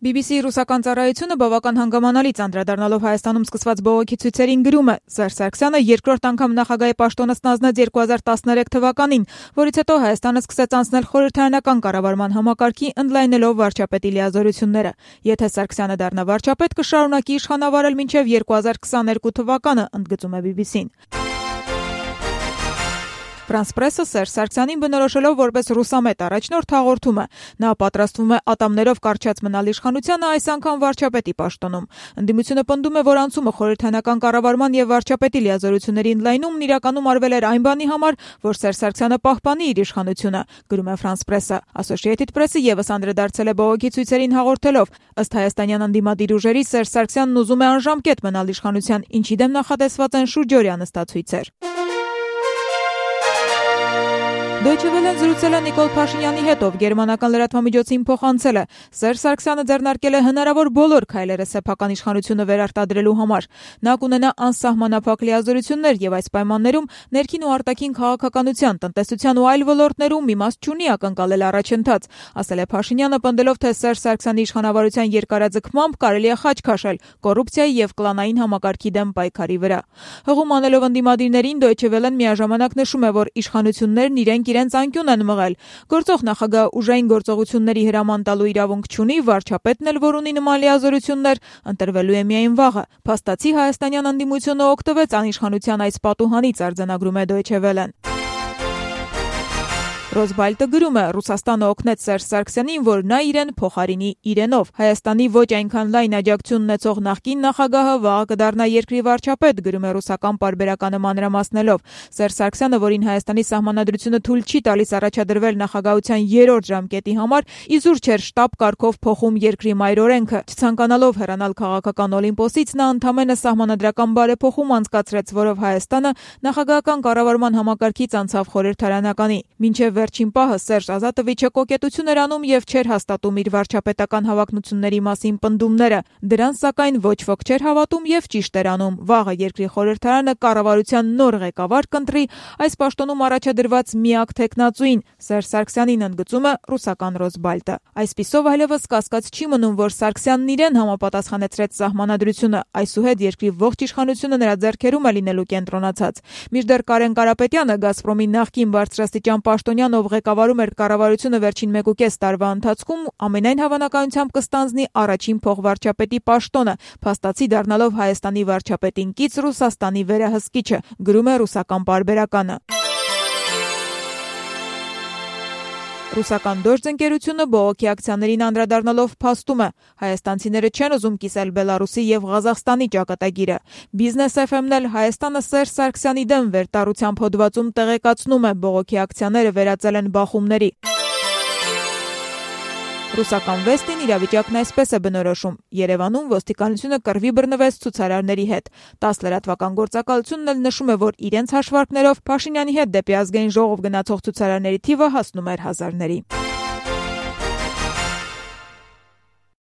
BBC ռուսական ծառայությունը բավական հանգամանալից անդրադառնալով Հայաստանում սկսված բողոքի ցույցերին գրում է. Սերժ Սարգսյանը երկրորդ անգամ նախագահի պաշտոնը ստանձնեց 2013 թվականին, որից հետո Հայաստանը սկսեց անցնել խորհրդարանական կառավարման համակարգի, ընդլայնելով վարչապետի լիազորությունները։ Եթե Սարգսյանը դառնա վարչապետ, կշարունակի իշխանավարել մինչև 2022 թվականը, ընդգծում է BBC-ն։ Ֆրանս պրեսը Սերժ Սարգսյանին բնորոշելով որպես ռուսամետ առաջնորդ հաղորդում է. նա պատրաստվում է ատամներով կարճած մնալ իշխանությանը, այս անգամ վարչապետի պաշտոնում։ Ընդդիմությունը պնդում է, որ անցումը խորհրդարանական կառավարման եւ վարչապետի լիազորությունների ընդլայնումն իրականում արվել էր այն բանի համար, որ Սերժ Սարգսյանը պահպանի իր իշխանությունը, գրում է Ֆրանս պրեսը։ Associated Press-ը եւս անդրադարձել է բողոքի ցույցերին հաղորդելով. ըստ հայաստանյան ընդդիմադիր ուժերի Սերժ Սարգսյանն ուզում է անժամկետ մնալ իշխանության, ինչի դեմ նախատեսված են շուրջօրյա նստացույցեր։ Deutsche Welle-ն զրուցել է Նիկոլ Փաշինյանի հետ, ով գերմանական լրատվամիջոցին փոխանցել է. Սերժ Սարգսյանը ձեռնարկել է հնարավոր բոլոր քայլերը սեփական իշխանությունը վերարտադրելու համար։ Նա կունենա անսահմանափակ լիազորություններ եւ այս պայմաններում ներքին ու արտաքին քաղաքականության, տնտեսության ու այլ ոլորտներում իմաստ չունի ակնկալել առաջընթաց, ասել է Փաշինյանը, պնդելով, թե Սերժ Սարգսյանի իշխանավարության երկարաձգմամբ կարելի է խաչ քաշել կոռուպցիայի եւ կլանային համակարգի դեմ պայքարի վրա։ Հղում անելով ընդդիմադիրներին Deutsche Welle-ն միաժամանակ նշում է, որ իշխանություններն իրենց անկյուն են մղել։ Գործող նախագահ ուժային գործողությունների հրաման տալու իրավունք չունի, վարչապետն էլ, որ ունի նման լիազորություններ, ընտրվելու է միայն վաղը։ Փաստացի հայաստանյան ընդդիմությունը օգտվեց անիշխանության այս պատուհանից, արձանագրում է Deutsche Welle-ն։ Ռոսբալտը գրում է. Ռուսաստանը օգնեց Սերժ Սարգսյանին, որ նա իրեն փոխարինի իրենով։ Հայաստանի ոչ այնքան լայն աջակցություն ունեցող նախկին նախագահը վաղը կդառնա երկրի վարչապետ, գրում է ռուսական պարբերականը մանրամասնելով։ Սերժ Սարգսյանը, որին Հայաստանի սահմանադրությունը թույլ չի տալիս առաջադրվել նախագահության 3-րդ ժամկետի համար, իզուր չէր շտաբ կարգով փոխում երկրի մայրօրենքը։ Չցանկանալով հեռանալ քաղաքական օլիմպոսից, նա ընդամենը սահմանադրական բարեփոխում անցկացրեց, որով Հայաստանը նախագահական կառավարման համակարգից անցավ խորհրդարանականի։ Մինչև վերջին պահը Սերժ Ազատովիչը կոկետություն էր անում եւ չէր հաստատում իր վարչապետական հավակնությունների մասին պնդումները։ Դրան սակայն ոչ ոք չէր հավատում եւ ճիշտ էր անում։ Վաղը երկրի խորհրդարանը կառավարության նոր ղեկավար կընտրի, այս պաշտոնում առաջադրված միակ թեկնածուին, Սերժ Սարգսյանին, ընդգծում է ռուսական Ռոսբալտը։ Այսպիսով այլևս կասկած չի մնում, որ Սարգսյանն իրեն համապատասխանեցրեց սահմանադրությունը, այսուհետ երկրի ողջ իշխանությունը նրա ձեռքերում է լինելու կենտրոնացած։ Մինչդեռ Կարեն Կարապետյանը, Գազպրոմի նախկին բարձրաստիճան պաշտոնյան, ով ղեկավարում էր կառավարությունը վերջին 1.5 տարվա ընթացքում, ամենայն հավանականությամբ կստանձնի առաջին փոխվարչապետի պաշտոնը, փաստացի դառնալով Հայաստանի վարչապետին կից Ռուսաստանի վերահսկիչը, գրում է ռուսական պարբերականը։ Ռուսական Դոժձ ընկերությունը բողոքի ակցիաներին անդրադառնալով փաստում է. հայաստանցիները չեն ուզում կիսել Բելարուսի եւ Ղազախստանի ճակատագիրը։ Business FM-ն էլ Հայաստանը Սերժ Սարգսյանի դեմ վերտառությամբ հոդվածում տեղեկացնում է, բողոքի ակցիաները վերածել են բախումների։ Ռուսական Վեստին իրավիճակն այսպես է բնորոշում. Երևանում ոստիկանությունը կռվի բռնվեց ցուցարարների հետ։ 10 լրատվական գործակալությունն էլ նշում է, որ իրենց հաշվարկներով Փաշինյանի հետ դեպի ազգային ժողով գնացող ցուցարարների թիվը հասնում էր հազարների։